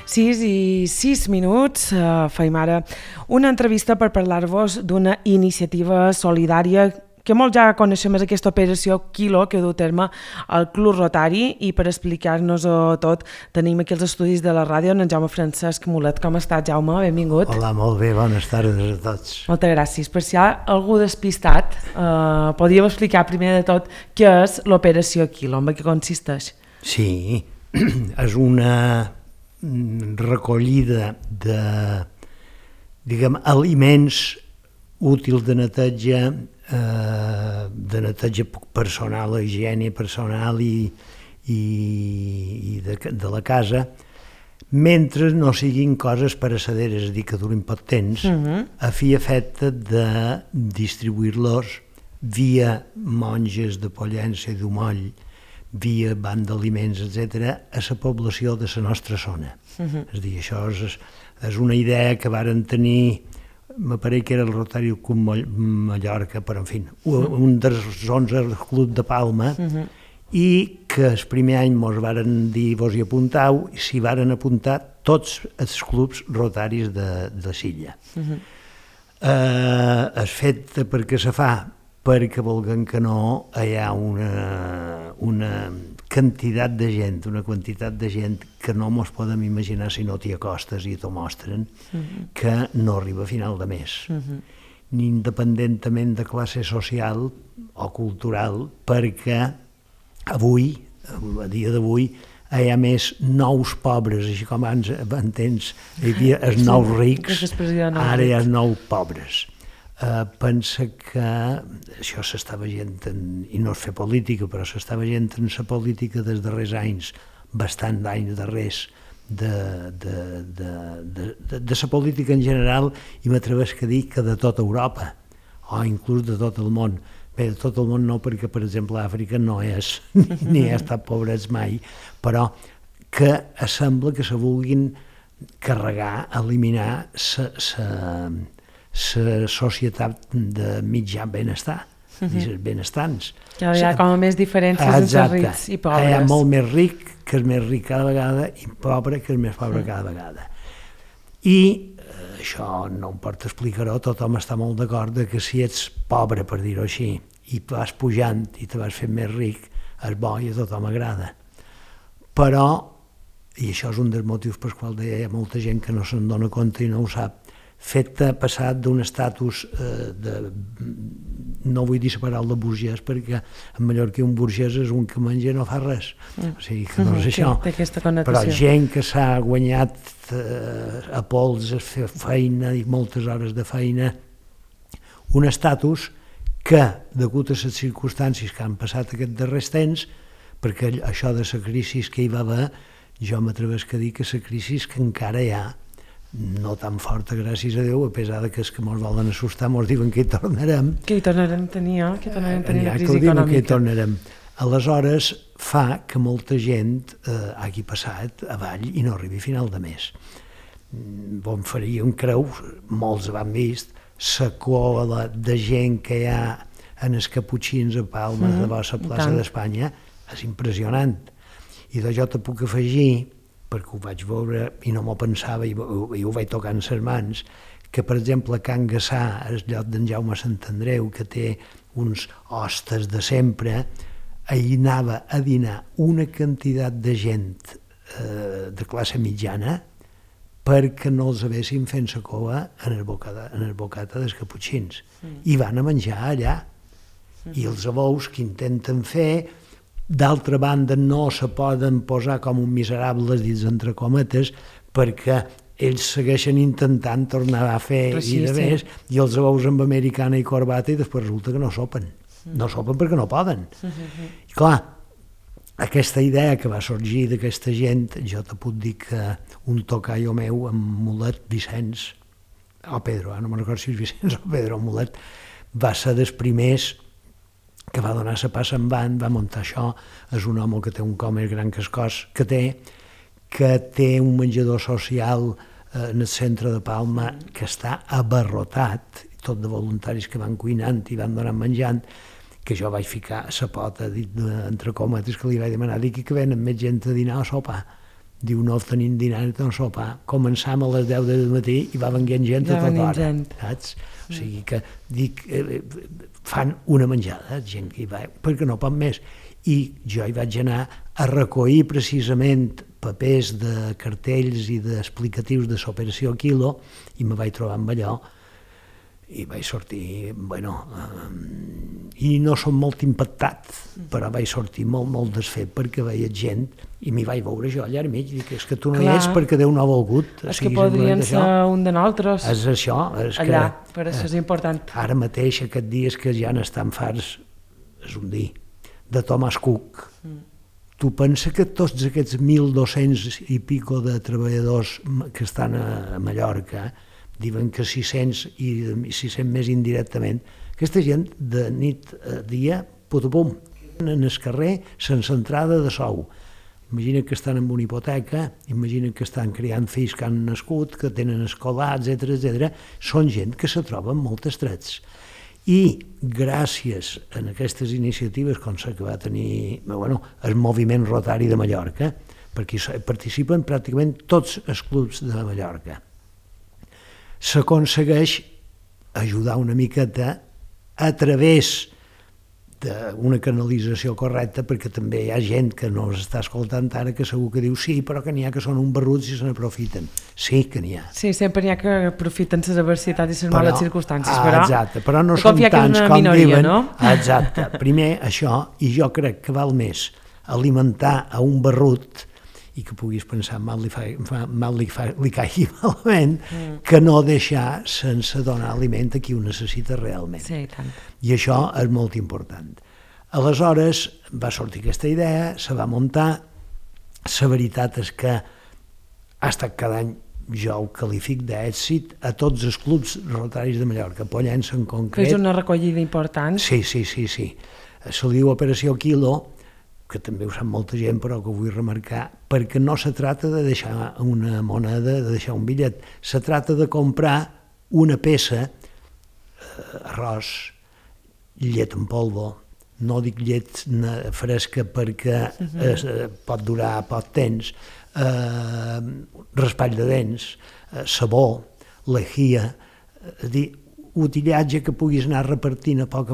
6:06. Feim ara una entrevista per parlar-vos d'una iniciativa solidària que molt ja coneixem, és aquesta operació Quilo que du a terme al Club Rotari, i per explicar-nos-ho tot tenim aquí els estudis de la ràdio en Jaume Francesc Mulet. Com estàs, Jaume? Benvingut. Hola, molt bé, bones tardes a tots. Moltes gràcies. Per si hi ha algú despistat, podríem explicar primer de tot què és l'operació Quilo, en què consisteix? Sí, és una recollida de, aliments útils de neteja personal, higiene personal i de la casa, mentre no siguin coses perecederes, és a dir, que durin poc temps, a fi i efecte de distribuir-los via monges de Pollença i d'Umoll, via banc d'aliments, etc., a la població de la nostra zona. És a dir, això és una idea que varen tenir, me pareix que era el Rotari Club Mallorca, però en fi, un dels 11 del Club de Palma, i que el primer any mos varen dir vos hi apuntau, i s'hi varen apuntar tots els clubs rotaris de Silla. És fet perquè se fa perquè volguem que no hi ha una quantitat de gent que no mos podem imaginar si no t'hi acostes i t'ho mostren, que no arriba a final de mes, ni independentment de classe social o cultural, perquè avui, a dia d'avui, hi ha més nous pobres, així com abans entens, hi havia els nous rics, ara hi ha els nous pobres. Pensa que això s'està veient, i no és fer política, però s'està veient en la política dels darrers anys, bastant d'anys darrers, de la política en general, i m'atrevesc a dir que de tota Europa, o inclús de tot el món. Bé, de tot el món no, perquè, per exemple, Àfrica no és, ni ha estat pobrets mai, però que sembla que se vulguin carregar, eliminar la societat de mitjà benestar, els benestants. Hi ha com més diferències entre rics i pobres. Hi ha molt més ric que és més ric cada vegada i pobre que és més pobre cada vegada. I això no em pot explicar-ho, tothom està molt d'acord que si ets pobre, per dir-ho així, i vas pujant i te vas fent més ric, és bo i a tothom agrada. Però, i això és un dels motius pels quals hi ha molta gent que no se'n dona compte i no ho sap, fet passat d'un estatus no vull dir separar de burgès, perquè en Mallorca un burgès és un que menja i no fa res, o sigui que no és això, però gent que s'ha guanyat a pols, a fer feina i moltes hores de feina, un estatus que, degut a les circumstàncies que han passat aquests darrers temps, perquè això de la crisi que hi va haver, jo m'atrevesc a dir que la crisi que encara hi ha, no tan forta, gràcies a Déu, a pesar que els que ens volen assustar ens diuen que hi tornarem. Que hi tornarem a tenir, que tornarem a tenir la crisi econòmica. Que hi tornarem. Aleshores, fa que molta gent hagi passat avall i no arribi a final de mes. Bon faríem creu, molts ho han vist, la cola de gent que hi ha en els caputxins a Palma de la plaça d'Espanya és impressionant. I jo te puc afegir, perquè ho vaig veure i no m'ho pensava i ho vaig tocar en les mans, que per exemple a Can Gassà, el lloc d'en Jaume Sant Andreu, que té uns hostes de sempre, ahir anava a dinar una quantitat de gent de classe mitjana perquè no els haguessin fent la cova en el bocata dels caputxins. I van a menjar allà. I els abous que intenten fer, d'altra banda no se poden posar com un miserables dins entre cometes, perquè ells segueixen intentant tornar a fer i de més, i els abous amb americana i corbata, i després resulta que no sopen. No sopen perquè no poden. I clar, aquesta idea que va sorgir d'aquesta gent, jo te puc dir que un tocaio meu, en Mulet Vicenç, o Pedro, no me'n recordo si és Vicenç o Pedro, Mulet, va ser dels primers que va donar la passa endavant, va muntar això. És un home que té un cos més gran que el cos que té un menjador social en el centre de Palma que està abarrotat, tot de voluntaris que van cuinant i van donant menjant, que jo vaig ficar la pota entre cometes que li vaig demanar, dic que venen més gent a dinar o a sopar. Diu, no tenim dinar ni tan sopar. Començam a les 10 del matí i va venint gent a tota hora, saps? O sigui que, dic, fan una menjada, gent que hi va, perquè no pot més. I jo hi vaig anar a recollir precisament papers de cartells i d'explicatius de l'operació Quilo i me vaig trobar amb allò i vaig sortir, i no som molt impactat, però vaig sortir molt desfet perquè veia gent i m'hi vaig veure jo allà al mig, dic, és que tu no hi és perquè Déu no ha volgut. És que podrien ser un de nosaltres. És això. Allà, per això és important. Ara mateix, aquests dies que ja n'estan farts, és un dir, de Thomas Cook. Tu pensa que tots aquests 1.200 i pico de treballadors que estan a Mallorca, diuen que 600 i 600 més indirectament, aquesta gent de nit a dia, pum, en el carrer sense entrada de sou. Imagina que estan amb una hipoteca, imagina que estan criant fills que han nascut, que tenen escolar, etc. Són gent que se troben molt estrets. I gràcies a aquestes iniciatives, com que va tenir el moviment Rotari de Mallorca, perquè participen pràcticament tots els clubs de Mallorca, s'aconsegueix ajudar una miqueta a través d'una canalització correcta, perquè també hi ha gent que no està escoltant ara que segur que diu sí, però que n'hi ha que són un barruts i se n'aprofiten. Sí que n'hi ha. Sí, sempre n'hi ha que aprofiten les adversitats i les males circumstàncies, però... Exacte, però no són tants com minoria, diuen. No? Exacte. Primer això, i jo crec que val més alimentar a un barrut i que puguis pensar mal li caigui malament, que no deixar sense donar aliment a qui ho necessita realment. Sí, tant. I això és molt important. Aleshores va sortir aquesta idea, se va muntar, la veritat és que ha estat cada any, jo ho qualific d'èxit a tots els clubs rotaris de Mallorca, Pollença en concret. Que és una recollida important. Sí. Se li diu Operació Quilo, que també ho sap molta gent, però que ho vull remarcar, perquè no se trata de deixar una moneda, de deixar un bitllet, se trata de comprar una peça, arròs, llet en polvo, no dic llet fresca perquè pot durar poc temps, raspall de dents, sabó, lejia, és a dir, utillatge que puguis anar repartint a poc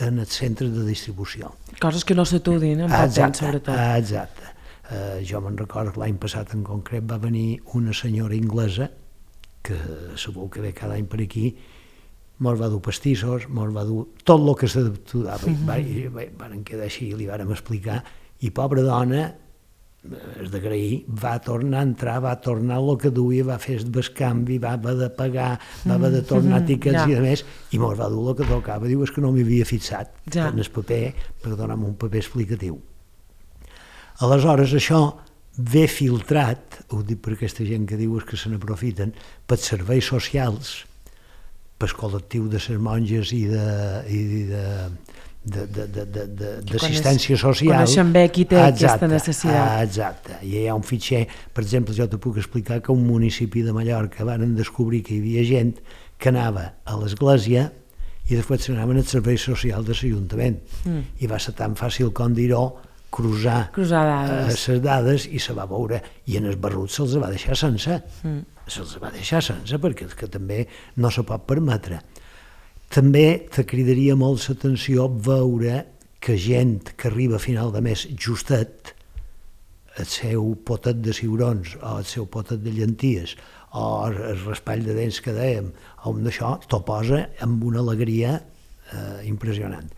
en els centres de distribució. Coses que no s'atudin, en poc temps, sobretot. Exacte. Jo me'n recordo que l'any passat en concret va venir una senyora inglesa, que segur que ve cada any per aquí, mos va dur pastissos, mos va dur tot el que s'adaptava. Varen quedar així, li vàrem explicar, i pobra dona, és d'agrair, va tornar a entrar, va tornar el que duia, va fer el bescanvi, va haver de pagar, va haver de tornar tiquets i de més, i mos va dur el que tocava. Diu, és que no m'hi havia fixat en el paper, per donar-me un paper explicatiu. Aleshores, això ve filtrat, ho dic per aquesta gent que diu que se n'aprofiten, pels serveis socials, pel col·lectiu de les monges i d'assistència social. Coneixen bé qui té aquesta necessitat. Exacte. I hi ha un fitxer, per exemple, jo te puc explicar que un municipi de Mallorca van descobrir que hi havia gent que anava a l'església i després s'anaven als serveis socials de l'Ajuntament. I va ser tan fàcil com dir-ho, cruzar les dades i se va veure. I en els barruts se'ls va deixar sense. Se'ls va deixar sense perquè que també no se pot permetre. També te cridaria molt l'atenció veure que gent que arriba a final de mes justet, el seu potet de ciurons o el seu potet de llenties o el raspall de dents que dèiem, o d'això, t'ho posa amb una alegria impressionant.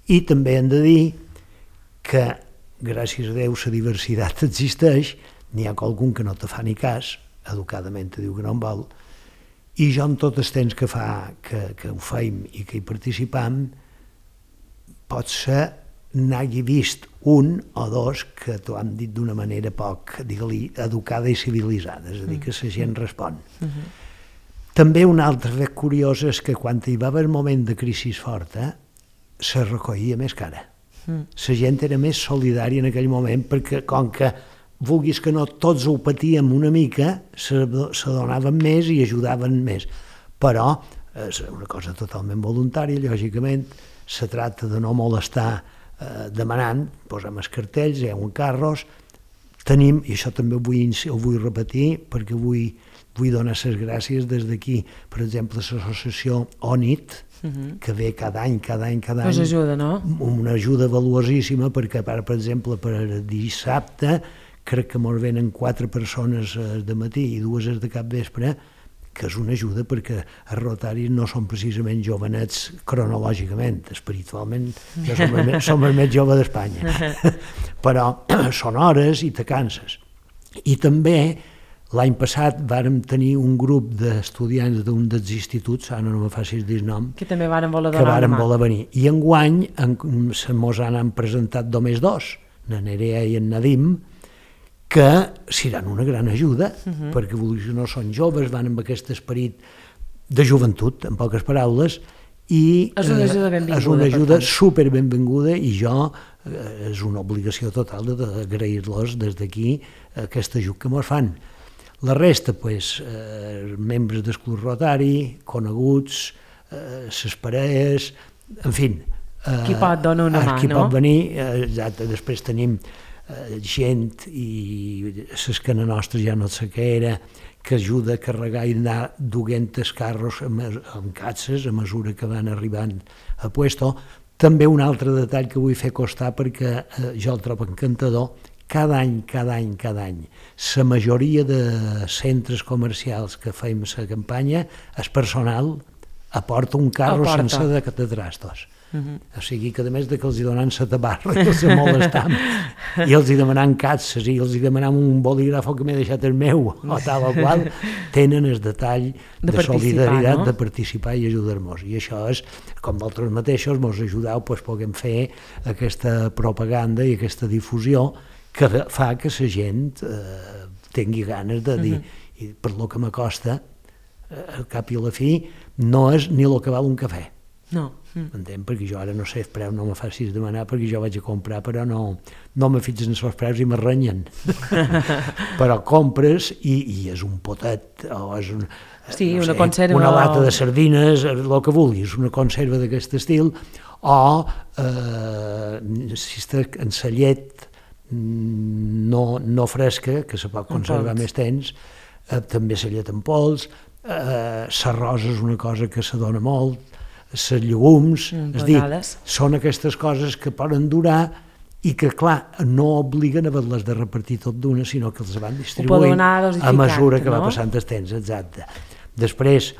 I també hem de dir que, gràcies a Déu, la diversitat existeix, n'hi ha qualcun que no te fa ni cas, educadament te diu que no en vol, i jo en tot el temps que fa que ho feim i que hi participam, pot ser n'hagi vist un o dos que t'ho han dit d'una manera poc, digue-li, educada i civilitzada, és a dir, que la gent respon. També un altre fet curiós és que quan hi va haver el moment de crisi forta, se recollia més cara. La gent era més solidària en aquell moment perquè, com que vulguis que no, tots ho patíem una mica, se donaven més i ajudaven més. Però és una cosa totalment voluntària, lògicament, se tracta de no molestar demanant, posem els cartells, hi ha un carros, tenim, i això també ho vull repetir, perquè vull donar les gràcies des d'aquí, per exemple, l'associació ONIT, que ve cada any, us ajuda, no? Una ajuda valuosíssima, perquè, per exemple, per dissabte, crec que mos venen 4 persones de matí i 2 de capvespre, que és una ajuda perquè els rotaris no són precisament jovenets cronològicament, espiritualment som els més joves d'Espanya, però són hores i te canses. I també l'any passat vàrem tenir un grup d'estudiants d'un dels instituts, ara no me facis dir nom, que també vàrem voler donar una mà. Voler venir. I enguany mos han presentat només 2, na Nerea i en Nadim, que seran una gran ajuda, perquè no són joves, van amb aquest esperit de joventut, en poques paraules, i és una ajuda benvinguda. És una ajuda super benvinguda, i jo és una obligació total d'agrair-los des d'aquí aquest ajut que mos fan. La resta, membres del Club Rotari, coneguts, les parelles, en fi. Qui pot donar una mà, no? Qui pot venir, exacte. Després tenim gent, i l'escana nostra ja no sé què era, que ajuda a carregar i anar duent els carros amb catses a mesura que van arribant a puesto. També un altre detall que vull fer costar, perquè jo el trobo encantador, cada any, la majoria de centres comercials que fem la campanya, el personal aporta un carro sense de trastos. O sigui que, a més de que els donen la tabarra i els molestam, i els demanem catses, i els demanem un bolígrafo que m'he deixat el meu, o tal o qual, tenen el detall de solidaritat, de participar i ajudar-nos. I això és, com vosaltres mateixos mos ajudeu, puguem fer aquesta propaganda i aquesta difusió que fa que la gent tingui ganes de dir, i per lo que m'acosta, al cap i a la fi, no és ni el que val un cafè. No. M'entén? Perquè jo ara no sé el preu, no me facis demanar, perquè jo vaig a comprar, però no me fixen els preus i me renyen. Però compres i és un potet, o és una conserva, una lata de sardines, el que vulguis, una conserva d'aquest estil, o si està en la llet no fresca, que se pot conservar més temps, també la llet en pols, l'arròs és una cosa que se dona molt, els llegums, és dir, són aquestes coses que poden durar i que, clar, no obliguen a haver-les de repartir tot d'una, sinó que els van distribuint a mesura que va passant el temps, exacte. Després,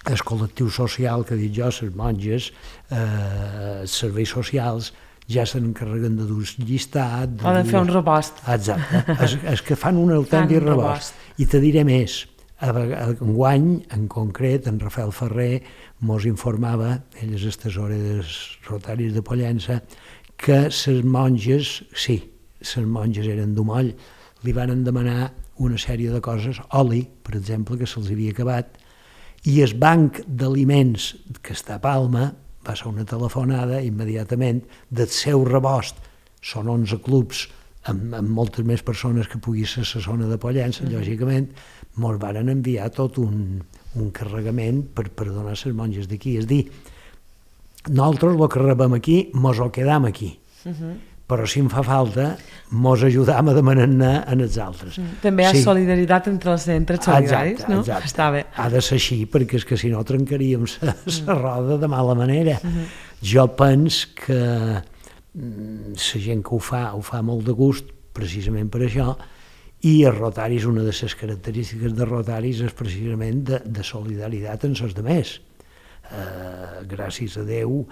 el col·lectiu social, que dic jo, les monges, els serveis socials, ja se n'encarreguen de dur llistat. Poden fer un rebost. Exacte, és que fan un autèntic rebost. I te diré més, enguany, en concret, en Rafael Ferrer mos informava, ell és el tesorer dels rotaris de Pollença, que les monges, les monges eren d'Umoll, li van demanar una sèrie de coses, oli, per exemple, que se'ls havia acabat, i el banc d'aliments que està a Palma va ser una telefonada immediatament del seu rebost. Són 11 clubs amb moltes més persones que pugui ser la zona de Pollença, lògicament, mos van enviar tot un carregament per donar a les monges d'aquí. És dir, nosaltres el que rebem aquí mos ho quedam aquí, però si em fa falta mos ajudam a demanar-ne en els altres. També hi ha solidaritat entre els centres solidaris, no? Exacte. Està bé. Ha de ser així, perquè és que si no trencaríem la roda de mala manera. Jo penso que la gent que ho fa molt de gust, precisament per això, i els rotaris, una de les característiques de rotaris és precisament de solidaritat amb els altres. Gràcies a Déu,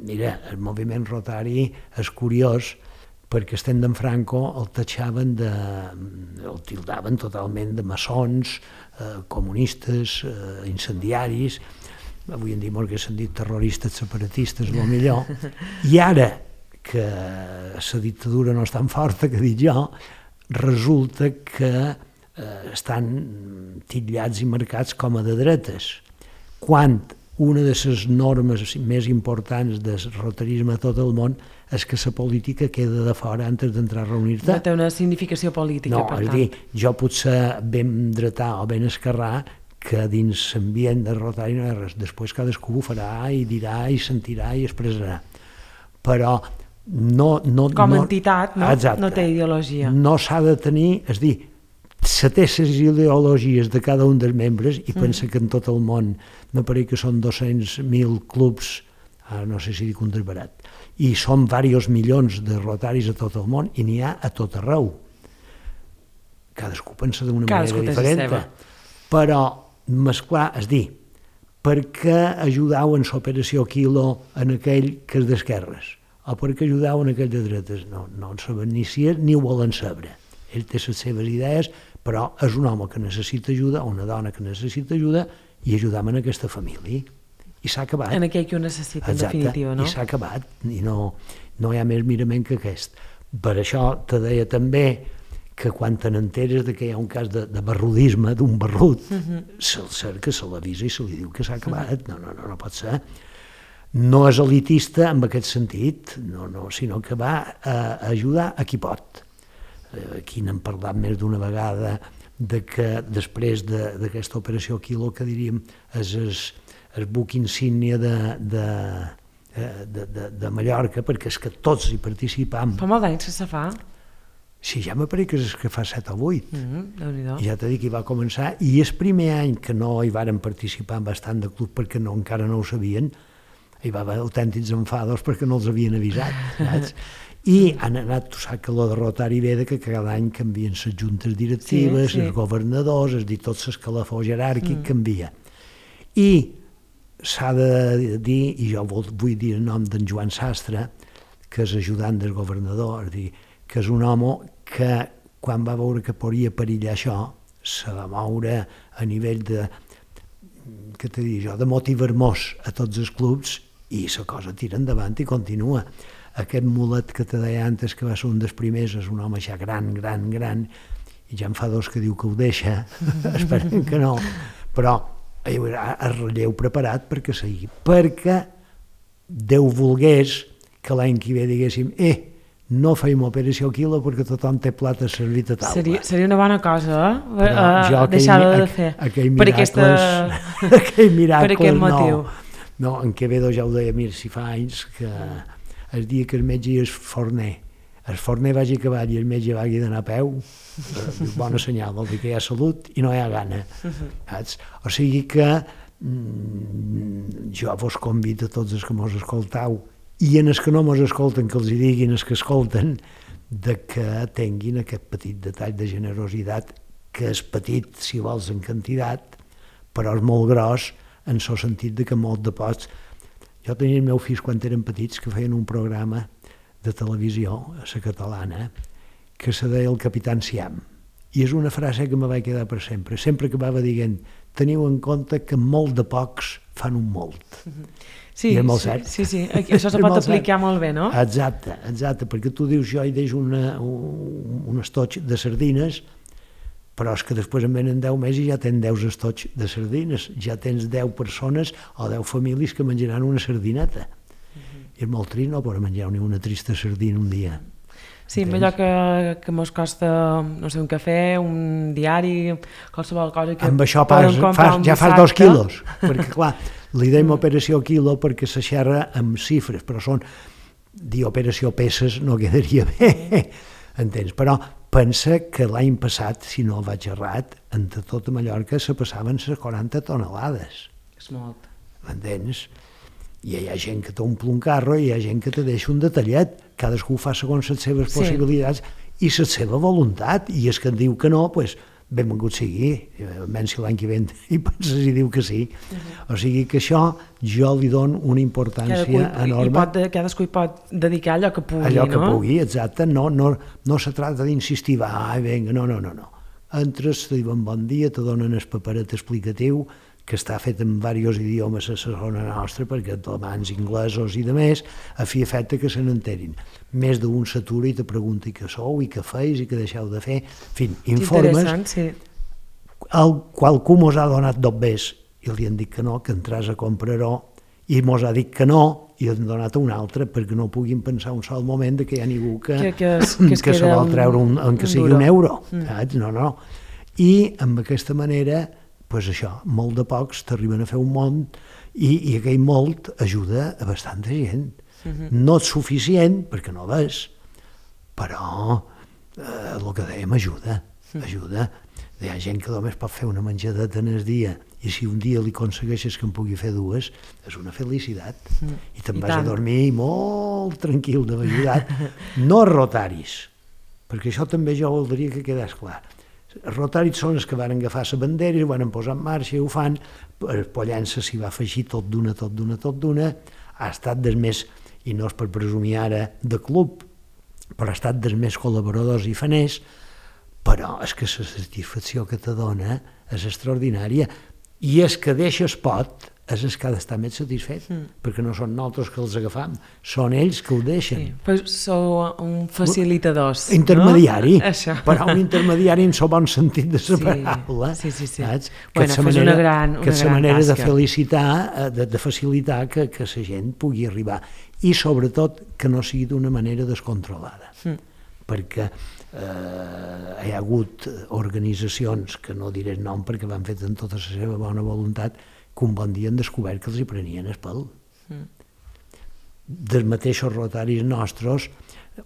mira, el moviment rotari és curiós, perquè estem d'en Franco el tatxaven el tildaven totalment de maçons, comunistes, incendiaris, avui en dia molt que s'han dit terroristes, separatistes, el millor, i ara que la dictadura no és tan forta, que dic jo, resulta que estan titllats i marcats com a de dretes, quan una de les normes més importants del rotarisme a tot el món és que la política queda de fora antes d'entrar a reunir-te. No té una significació política, per tant. No, és dir, jo potser ben dretà o ben esquerrà, que dins l'ambient de rotari no hi ha res. Després cadascú ho farà i dirà i sentirà i expressarà. Però Com a entitat, no? Exacte. No té ideologia. No s'ha de tenir, és dir, se té les ideologies de cada un dels membres i pensa que en tot el món me pareix que són 200.000 clubs, no sé si dic un desbarat, i són diversos milions de rotaris a tot el món i n'hi ha a tot arreu. Cadascú pensa d'una manera diferent, però mesclar, és dir, per què ajudau en l'operació Quilo en aquell que és d'esquerres o per què ajudau en aquell de dretes? No en saben ni si és ni ho volen saber. Ell té les seves idees, però és un home que necessita ajuda o una dona que necessita ajuda i ajudam en aquesta família. I s'ha acabat. En aquell que ho necessita, en definitiva, no? I s'ha acabat, i no hi ha més mirament que aquest. Per això te deia també que quan te n'enteres que hi ha un cas de barrudisme, d'un barrut, se'l cerca, se l'avisa i se li diu que s'ha acabat. No pot ser. No és elitista en aquest sentit, sinó que va a ajudar a qui pot. Aquí n'hem parlat més d'una vegada de que després d'aquesta operació Quilo, que diríem és el buc insígnia de Mallorca, perquè és que tots hi participam. Fa molt d'anys que se fa? Sí, ja m'apareix que és que fa 7 o 8. Déu-n'hi-do. Ja t'he dit que hi va començar, i el primer any que no hi varen participar bastant de club perquè encara no ho sabien, hi va haver autèntics enfados perquè no els havien avisat, saps? I han anat, tu saps que lo de Rotary ve que cada any canvien les juntes directives, els governadors, és a dir, tot l'escalafó jeràrquic canvia. I s'ha de dir, i jo vull dir el nom d'en Joan Sastre, que és ajudant del governador, és a dir, que és un home que quan va veure que podria perillar això, se va moure a nivell de, què t'he dit jo, de motivar-nos a tots els clubs, i la cosa tira endavant i continua. Aquest mulet que te deia antes, que va ser un dels primers, és un home ja gran, i ja en fa 2 que diu que ho deixa, esperem que no, però hi haurà el relleu preparat perquè sigui, perquè Déu volgués que l'any que ve diguéssim, no feim operació Quilo perquè tothom té plata servit a taula. Seria una bona cosa, deixar-ho de fer. Per aquell miracle, motiu. No, en Quevedo ja ho deia, mira, si fa anys que el dia que el metge és forner, el forner vagi a cavall i el metge vagi d'anar a peu, bona senyal, vol dir que hi ha salut i no hi ha gana. O sigui que jo vos convido a tots els que mos escoltau i en els que no mos escolten, que els hi diguin els que escolten, de que tinguin aquest petit detall de generositat, que és petit, si vols, en quantitat, però és molt gros en el sentit de que molt de pocs. Jo tenia els meus fills quan eren petits que feien un programa de televisió a la catalana que se deia El Capitán Siam, i és una frase que me va quedar per sempre. Sempre acabava dient, teniu en compte que molt de pocs fan un molt. Sí, i és molt cert. Sí, això se pot aplicar molt bé, no? Exacte, perquè tu dius, jo hi deixo un estoig de sardines, però és que després en venen 10 més i ja tens 10 estoig de sardines, ja tens 10 persones o 10 famílies que menjaran una sardineta. I és molt trist no poder menjar ni una trista sardina un dia. Sí, amb allò que mos costa, no sé, un cafè, un diari, qualsevol cosa que... Amb això ja fas 2 quilos, perquè clar, li deim operació quilo perquè se xerra amb xifres, però són, dir operació peces no quedaria bé, entens? Però pensa que l'any passat, si no vaig errat, entre tota Mallorca se passaven les 40 tonelades. És molt. M'entens? I hi ha gent que t'omple un carro i hi ha gent que te deixa un detallet. Cadascú fa segons les seves possibilitats i la seva voluntat. I és que et diu que no, doncs benvingut sigui. Almenys si l'any que ve hi penses i diu que sí. O sigui que això jo li dono una importància enorme. Cadascú hi pot dedicar allò que pugui, no? Allò que pugui, exacte. No se tracta d'insistir, vinga, no. Entres, te diuen bon dia, te donen el paperet explicatiu, que està fet en diversos idiomes a la zona nostra, perquè alemans, inglesos i de més, a fi efecte que se n'enterin. Més d'un s'atura i te pregunta què sou, i què feis, i què deixeu de fer. En fi, informes. Interessant, sí. Qualcú mos ha donat dobbers i li han dit que no, que entràs a comprar-ho, i mos ha dit que no, i han donat un altre, perquè no puguin pensar un sol moment que hi ha ningú que se vol treure que sigui un euro. No. I amb aquesta manera, doncs això, molt de pocs t'arriben a fer un món I aquell molt ajuda a bastanta gent. No és suficient, perquè no l'és, però el que dèiem ajuda. Hi ha gent que només pot fer una menjadeta en el dia, i si un dia li aconsegueixes que en pugui fer dues, és una felicitat. I te'n vas a dormir molt tranquil d'haver ajudat. No a rotaris, perquè això també jo voldria que quedés clar. Els rotaris són els que van agafar la bandera i ho van posar en marxa i ho fan. El Pollença s'hi va afegir tot d'una. Ha estat dels més, i no és per presumir ara de club, però ha estat dels més col·laboradors i faners, però és que la satisfacció que te dona és extraordinària. I és que deixes pot, és el que ha d'estar més satisfet, perquè no són nosaltres que els agafam, són ells que ho deixen. Sí, però sou un facilitadors, intermediari, no? però un intermediari en el bon sentit de la paraula. Sí. Saps? Bueno, és una gran tasca. Que és la manera de felicitar, de facilitar que la gent pugui arribar. I sobretot que no sigui d'una manera descontrolada. Perquè hi ha hagut organitzacions, que no diré el nom perquè van fet amb tota la seva bona voluntat, que un bon dia han descobert que els hi prenien el pèl. Dels mateixos rotaris nostres,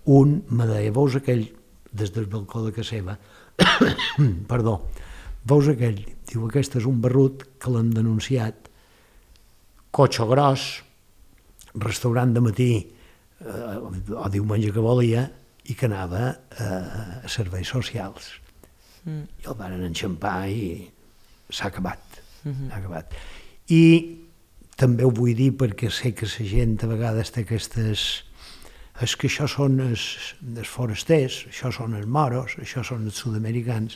un me deia, veus aquell, des del balcó de casa seva, perdó, veus aquell, diu, aquest és un barrut que l'han denunciat, cotxe gros, restaurant de matí, o diumenge que volia, i que anava a serveis socials. I el van enxampar i s'ha acabat. I també ho vull dir perquè sé que la gent a vegades té aquestes... És que això són els forasters, això són els moros, això són els sud-americans.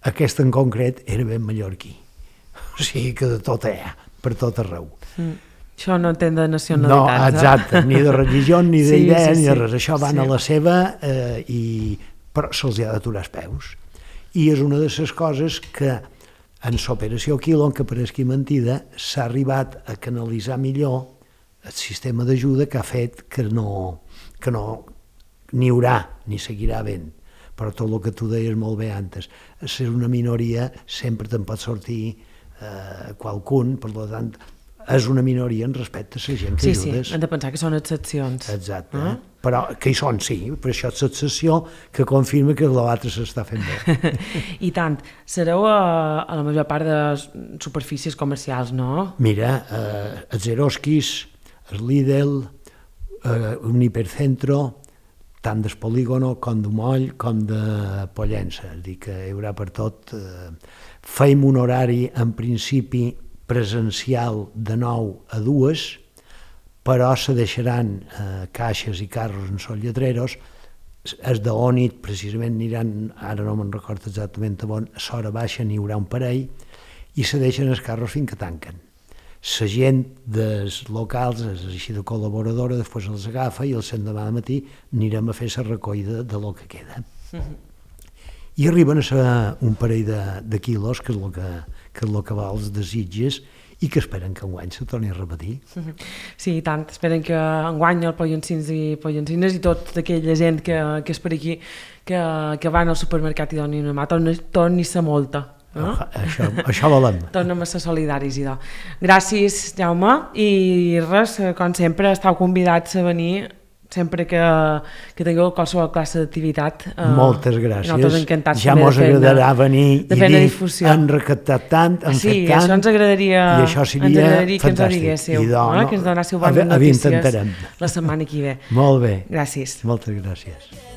Aquest en concret era ben mallorquí. O sigui que de tot hi ha, per tot arreu. Això no entén de nacionalitats, no? Exacte, ni de religió, ni d'idea, ni de res. Això van a la seva, però se'ls ha d'aturar els peus. I és una de les coses que en l'operació Quilon, que pareixi mentida, s'ha arribat a canalitzar millor el sistema d'ajuda que ha fet que no n'hi haurà ni seguirà havent. Però tot el que tu deies molt bé antes, ser una minoria sempre te'n pot sortir qualcun, per tant, és una minoria en respecte a la gent que ajudes. Sí, hem de pensar que són excepcions. Exacte, però que hi són, sí, però això és l'excepció que confirma que l'altre s'està fent bé. I tant, sereu a la major part de superfícies comercials, no? Mira, els Eroskis, el Lidl, un hipercentro, tant del polígono com de Moll com de Pollença, és a dir, que hi haurà per tot. Feim un horari, en principi, presencial de 9 a 2, però se deixaran caixes i carros en sol lletreros, els d'Onit precisament aniran, ara no me'n recordo exactament on, a l'hora baixa n'hi haurà un parell, i se deixen els carros fins que tanquen. La gent dels locals, és així de col·laboradora, després els agafa i el demà de matí anirem a fer la recollida de lo que queda. I arriben a ser un parell de quilos, que és el que va als desitges, i que esperen que enguany se torni a repetir. Sí, i tant. Esperen que enguany el Pollencins i Pollencines i tota aquella gent que és per aquí, que van al supermercat i donin una mà, torni a ser molta. No? Això volem. Tornem a ser solidaris, idò. Gràcies, Jaume, i res, com sempre, esteu convidats a venir sempre que tingueu qualsevol classe d'activitat. Moltes gràcies. Nosaltres encantats ja mos agradarà venir i dir han recaptat tant, han fet tant. Sí, això ens agradaria, i això seria que ens ho diguéssiu, que ens donéssiu bones notícies la setmana que ve. Molt bé. Gràcies. Moltes gràcies.